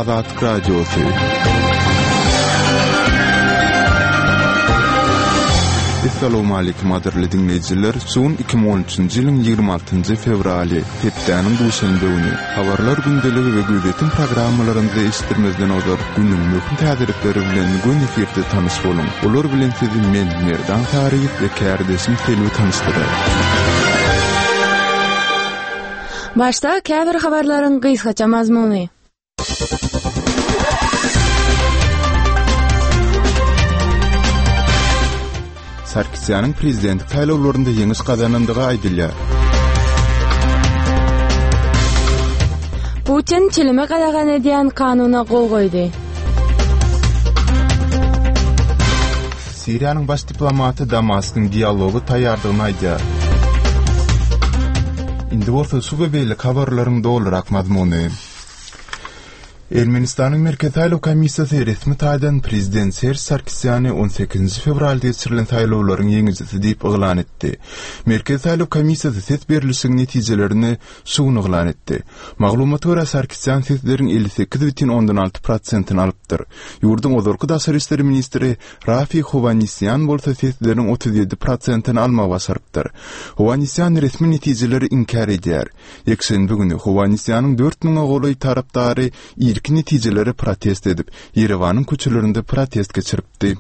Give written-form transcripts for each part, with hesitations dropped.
Azatlyk Radiosy. Essalawmaleýkim gadyrly diňleýjiler! Şu gün 2013-nji ýylyň 26-njy fewraly, hepdäniň duşenbe güni. Habarlar gündeligi we gözýetim programmalarymyzy eşitdirmezden ozal, günüň möhüm täzelikleri bilen göni efirde tanyş boluň. Olar bilen sizi men, Merdan Saryýew we kärdeşim Selbi tanyşdyrar. Başda käbir habarlaryň gysgaça mazmuny. Sarkisýanyň prezidentlik saýlawlarynda ýeňiş gazanandygy aýdylýar. Putin çilimi gadagan edýän kanuna gol goýdy. Siriýanyň baş diplomaty Damaskyň dialoga taýýardygyny aýdýar. Indi bolsa şu we beýleki habarlaryň dolurak mazmuny. Ermenistanyň Merkezi saýlaw komissiýasy resmi taýdan prezident Serž Sarkisýany on sekizinji fewralda geçirilen saýlawlaryň ýeňijisi diýip yglan etdi. Merkezi saýlaw komissiýasy ses berlişigiň netijelerini şu gün yglan etdi. Maglumata görä, Sarkisýan sesleriň 58 bütin ondan 6 prosentini alypdyr. Ýurduň ozalky daşary işler ministri Rafi Howannisýan bolsa sesleriň 37 prosentini almagy başarypdyr. Howannisýan resmi netijeleri inkär edýär. Ýekşenbe güni Howannisýanyň dört müňe golaý tarapdary irki netijelere protest edip, Ýerewanyň köçelerinde protest geçiripdi.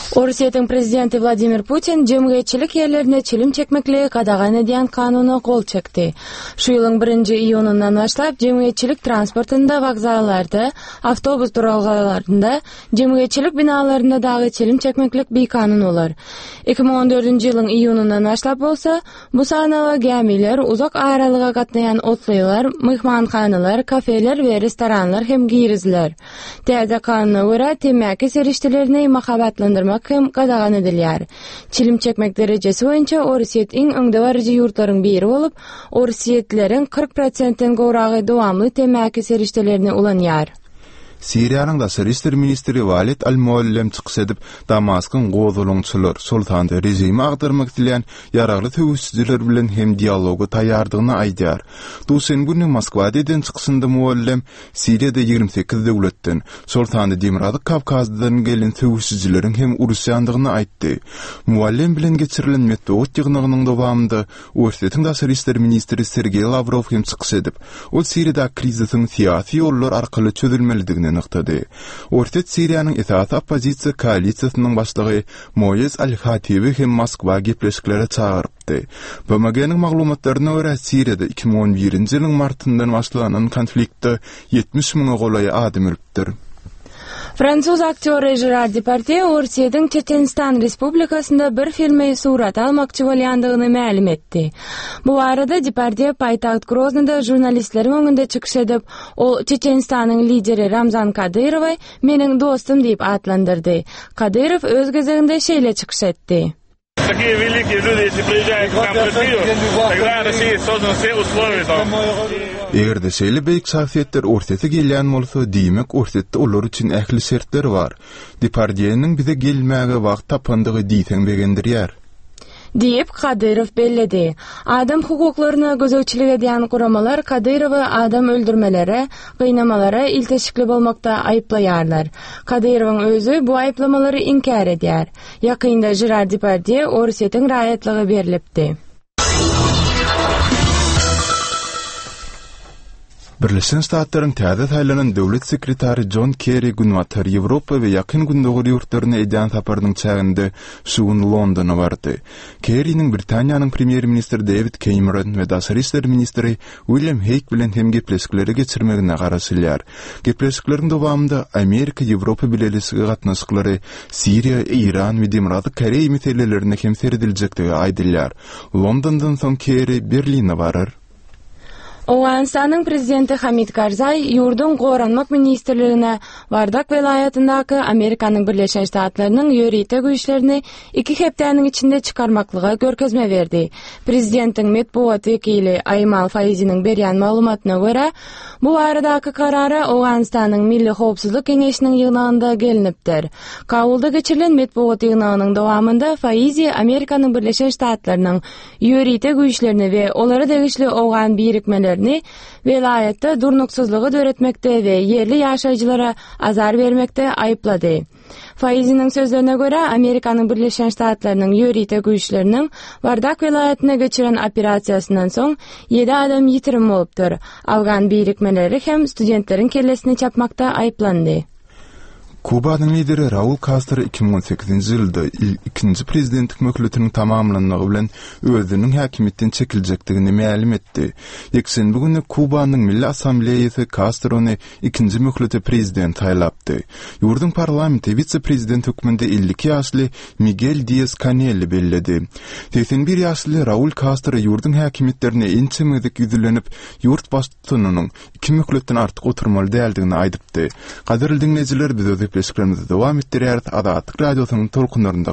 Orsýetiň prezidenti Wladimir Putin jemgyýetçilik ýerlerinde çilim çekmekligi gadagan edýän kanuna gol çekdi. Şu ýylyň birinji iýunyndan başlap jemgyýetçilik transportynda, wokzallarda, awtobus duralgalarynda, jemgyýetçilik binalarynda dagy çilim çekmeklik bikanun bolar. 2014-nji ýylyň iýunyndan başlap bolsa, Bu sanawa gämiler, uzak aralyga gatnaýan otlylar, myhmanhanalar, kafeler we restoranlar hem giriziler. Täze kanuna görä, temmäki serişdelerini mahabatlandyrmak hem gadagan edilýär. Çilim çekmek derejesi boýunça Orsýet iň öňdebaryjy ýurtlaryň biri bolup, orsýetlileriň 40 prosentden gowragy dowamly temmäki serişdelerini ulanýar. Siriýanyň daşary işler ministri Walid al-Muallem çykyş edip, Damaskyň gozgalaňçylar, şol sanda režimi agdarmak isleýän ýaragly söweşijiler bilen hem dialoga taýýardygyny aýdýar. Duşenbe güni Moskwada eden çykyşynda Muallem Siriýada 28 döwletden, şol sanda Demirgazyk Kawkazdan gelen söweşijileriň hem uruşýandygyny aýtdy. Muallem bilen geçirilen metbugat ýygnagynyň dowamynda Orsýetiň daşary işler ministri Sergeý Lawrow hem çykyş edip, ol Siriýadaky krizisiň syýasy ýollar arkaly çözülmelidigini nygtady. Orsýet Siriýanyň esasy oppozisiýa koalisiýasynyň başlygy Moýez al-Hatibi hem Moskwa gepleşiklere çagyrypdy. BMG-niň maglumatlaryna görä, Siriýada 2011-nji ýylyň martyndan başlanan konfliktde 70 müňe golaý adam ölüpdir. Fransuz aktýory Žerar Depardýe Orsýetiň Çeçenistan Respublikasynda bir filmi surata almakçy bolýandygyny mälim etdi. Bu barada Depardýe paýtagt Groznyda žurnalistleriň öňünde çykyş edip, ol Çeçenistanyň lideri Ramzan Kadyrowy meniň dostum diýip atlandyrdy. Kadyrow öz gezeginde şeýle çykyş etdi. Eger-de şeýle beýik şahsyýetler Orsýete gelýän bolsa, diýmek, Orsýetde olar üçin ähli şertler bar. Depardýeniň bize gelmäge wagt tapandygy diýseň begendirýär. Diýip, Kadyrow belledi. Adam hukuklaryna gözegçilik edýän guramalar Kadyrowy adam öldürmelere, gynamalara ilteşikli bolmakda aýyplaýarlar. Kadyrowyň özi bu aýyplamalary inkär edýär. Ýakynda Žerar Depardýe Orsýetiň raýatlygy berlipdi. Birleşen Ştatlaryň täze saýlanan döwlet sekretary Jon Kerri Günbatar Ýewropa we Ýakyn Gündogar ýurtlaryna edýän saparynyň çäginde şu gün Londona bardy. Kerriniň Britaniýanyň premýer-ministri Dewid Keýmeron we daşary işler ministri William Heýg bilen hem gepleşikleri geçirmegine garaşylýar. Gepleşikleriň dowamynda Amerika-Ýewropa Bileleşigi gatnaşyklary, Siriýa, Eýran we Demirgazyk Koreýa meselelerine hem serediljekdigi aýdylýar. Londondan soň Kerri Berline barar. Owganystanyň prezidenti Hamid Karzaý ýurduň Goranmak ministrligine Wardak welaýatyndaky Amerikanyň Birleşen Ştatlarynyň ýörite güýçlerini iki hepdäniň içinde çykarmaklyga görkezme berdi. Prezidentiň metbugat wekili Aýmal Faiziniň berýän maglumatyna görä, bu baradaky karara Owganystanyň Milli howpsuzlyk geňeşiniň ýygnagynda gelnipdir. Kabulda geçirilen metbugat ýygnagynyň dowamynda Faizi Amerikanyň Birleşen Ştatlarynyň ýörite güýçlerini we olara degişli owgan birikmelerini. işgärlerini welaýatda durnuksyzlygy döretmekde we ýerli ýaşaýjylara azar bermekde aýyplady. Faiziniň sözlerine görä, Amerikanyň Birleşen Ştatlarynyň ýörite güýçleriniň Wardak welaýatynda geçiren operasiýasyndan soň ýedi adam ýitirim bolupdyr. Afgan birikmeleri hem studentleriň kellesini çapmakda aýyplandy. Kubanyň lideri Raul Kastro 2018-nji ýylda ikinji prezidentlik möhletiniň tamamlanmagy bilen özüniň häkimiýetden çekiljekdigini mälim etdi. Ýekşenbe güni Kubanyň Milli Assambleýasy Kastrony ikinji möhlete prezident saýlapdy. Ýurduň parlamenti wise-prezident hökmünde 52 ýaşly Migel Dias-Kanelli belledi. 81 ýaşly Raul Kastro ýurduň häkimiýetlerine ençeme gezek ýüzlenip, ýurt baştutanynyň iki möhletden artyk oturmaly däldigini aýdypdy. Gadyrly diňleýjiler, biz öz gepleşiklerimizi dowam etdirýäris, Azatlyk Radiosynyň tolkunlarynda.